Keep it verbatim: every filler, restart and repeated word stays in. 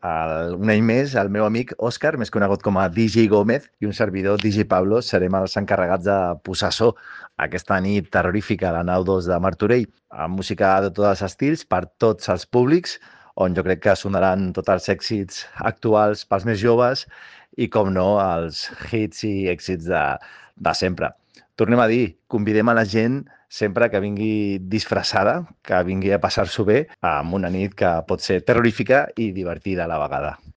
El, un any més, el meu amic Òscar, més conegut com a D J Gómez, i un servidor D J Pablo serem els encarregats de posar so aquesta nit terrorífica a la nau dos de Martorell, amb música de tots els estils, per tots els públics, on jo crec que sonaran tots els èxits actuals pels més joves i, com no, els hits i èxits de, de sempre. Tornem a dir, convidem a la gent sempre que vingui disfressada, que vingui a passar-s'ho bé, amb una nit que pot ser terrorífica i divertida a la vegada.